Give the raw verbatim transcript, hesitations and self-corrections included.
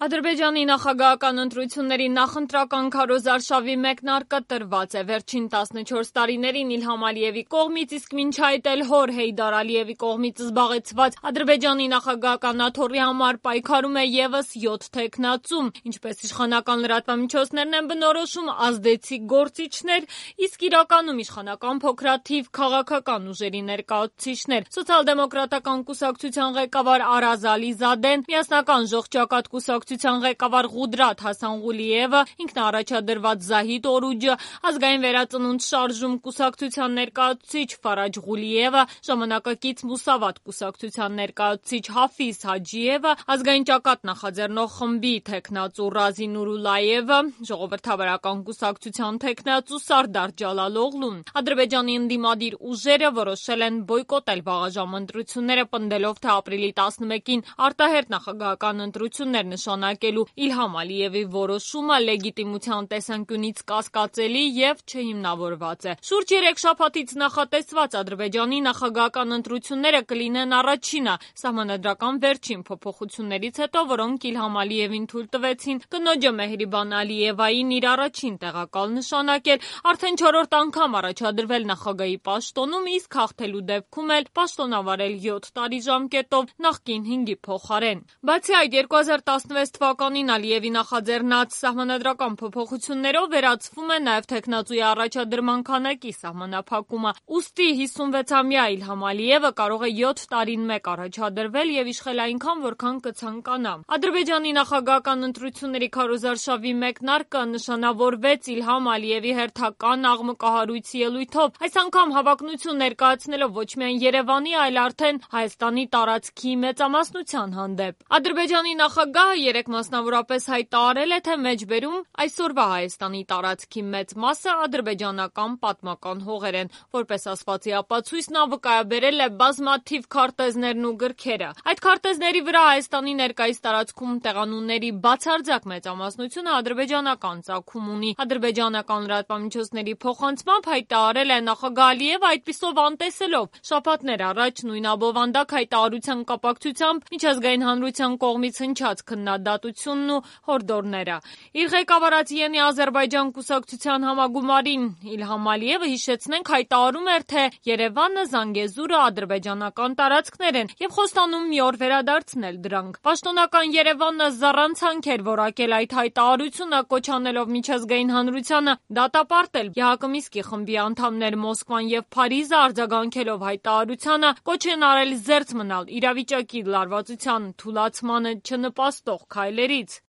Ադրբեջանի նախագահական ընտրությունների նախընտրական քարոզարշավի մեկնարկը տրված է վերջին տասնչորս տարիներին Իլհամ Ալիևի կողմից, իսկ մինչ այդ էլ հոր Հեյդար Ալիևի կողմից զբաղեցված Ադրբեջանի նախագահական աթոռի համար պայքարում է ևս յոթ թեկնածու, ինչպես իշխանական լրատվամիջոցներն են բնորոշում, ազդեցիկ գործիչներ, իսկ իրականում իշխանական փոքրաթիվ քաղաքական ուժերի ներկայացուցիչներ։ Սոցիալ-դեմոկրատական կուսակցության ղեկավար Արազ Ալիզադեն, միասնական ժողջակատ կուսակցության ղեկավար Ղուդրաթ Հասանղուլիևը, ինքնաառաջադրված Զահիդ Օրուջը, ազգային վերածնունդ շարժում կուսակցության ներկայացուցիչ Ֆարաջ Ղուլիևը, ժամանակակից Մուսավատ կուսակցության ներկայացուցիչ Հաֆիզ Հաջիևը, ազգային ճակատ նախաձեռնող խմբի թեկնածու Ռազի Նուրուլլայևը, ժողովրդավարական կուսակցության թեկնածու Սարդար Ջալալօղլուն։ Ադրբեջանի ընդդիմադիր ուժերը որոշել են բոյկոտել վաղաժամ ընտրությունները, պնդելով, թե ապրիլի տասնմեկին արտահերթ նախագահական ընտրություններ նշանակելու Իլհամ Ալիևի որոշումը լեգիտիմության տեսանկյունից կասկածելի և չհիմնավորված է։ Շուրջ երեք շաբաթից նախատեսված Ադրբեջանի նախագահական ընտրությունները կլինեն առաջինը սահմանադրական վերջին փոփոխություններից հետո, որոնք Իլհամ Ալիևին թույլ տվեցին կնոջը Մեհրիբան Ալիևային իր առաջին տեղակալ նշանակել, արդեն չորրորդ անգամ առաջադրվել նախագահի պաշտոնում, իսկ հաղթելու դեպքում էլ պաշտոնավարել յոթ տարի ժամկետով նախկին հինգի փոխարեն։ Բացի այդ, երկու հազար տասնվեց թվականին Ալիևի նախաձեռնած սահմանադրական փոփոխություններով վերացվում է նաև թեկնածուի առաջադրման քանակի սահմանափակումը։ Ուստի հիսունվեցամյա Իլհամ Ալիևը կարող է յոթ տարին մեկ առաջադրվել և իշխել այնքան, որքան կցանկանա։ Ադրբեջանի նախագահական ընտրությունների քարոզարշավի մեկնարկը նշանավորվեց Իլհամ Ալիևի հերթական աղմկահարույց ելույթով, այս անգամ հավակնություն ներկայացնելով ոչ միայն Երևանի, այլ արդեն Հայաստանի տարածքի մեծամասնության հանդեպ։ Ադրբեջանի նախագահը երեկ մասնավորապես հայտարարել է, թե մեջբերում այսօրվա Հայաստանի տարածքի մեծ մասը ադրբեջանական պատմական հողեր են։ Որպես ասվածի ապացույց նա վկայաբերել է բազմաթիվ քարտեզներն ու գրքերը։ Այդ քարտեզների վրա Հայաստանի ներկայիս տարածքում տեղանունների բացարձակ մեծամասնությունը ադրբեջանական ծագում ունի։ Ադրբեջանական լրատվամիջոցների փոխանցմամբ հայտարարել է նախագահ Ալիևը, այդպիսով անտեսելով շաբաթներ առաջ նույն abովանդակ հայտարարության կապակցությամբ միջազգային հանրության կողմից հնչած քննադատությունն ու հորդորները։ Իր ղեկավարած Յենի Ադրբեջան կուսակցության համագումարին Իլհամ Ալիևը, հիշեցնենք, հայտարարում էր, թե Երևանը, Զանգեզուրը ադրբեջանական տարածքներ են և խոստանում մի օր վերադարձնել դրանք։ Պաշտոնական Երևանը զառանցանք էր որակել այդ հայտարարությունը, կոչ անելով միջազգային հանրությանը դատապարտել ԵՀԿ Մինսկի խմբի անդամներ Մոսկվան և Փարիզը, արձագանքելով հայտարարությանը, կոչ են արել զերծ մնալ իրավիճակի լարվածության թուլացմանը չնպաստող քայլերից։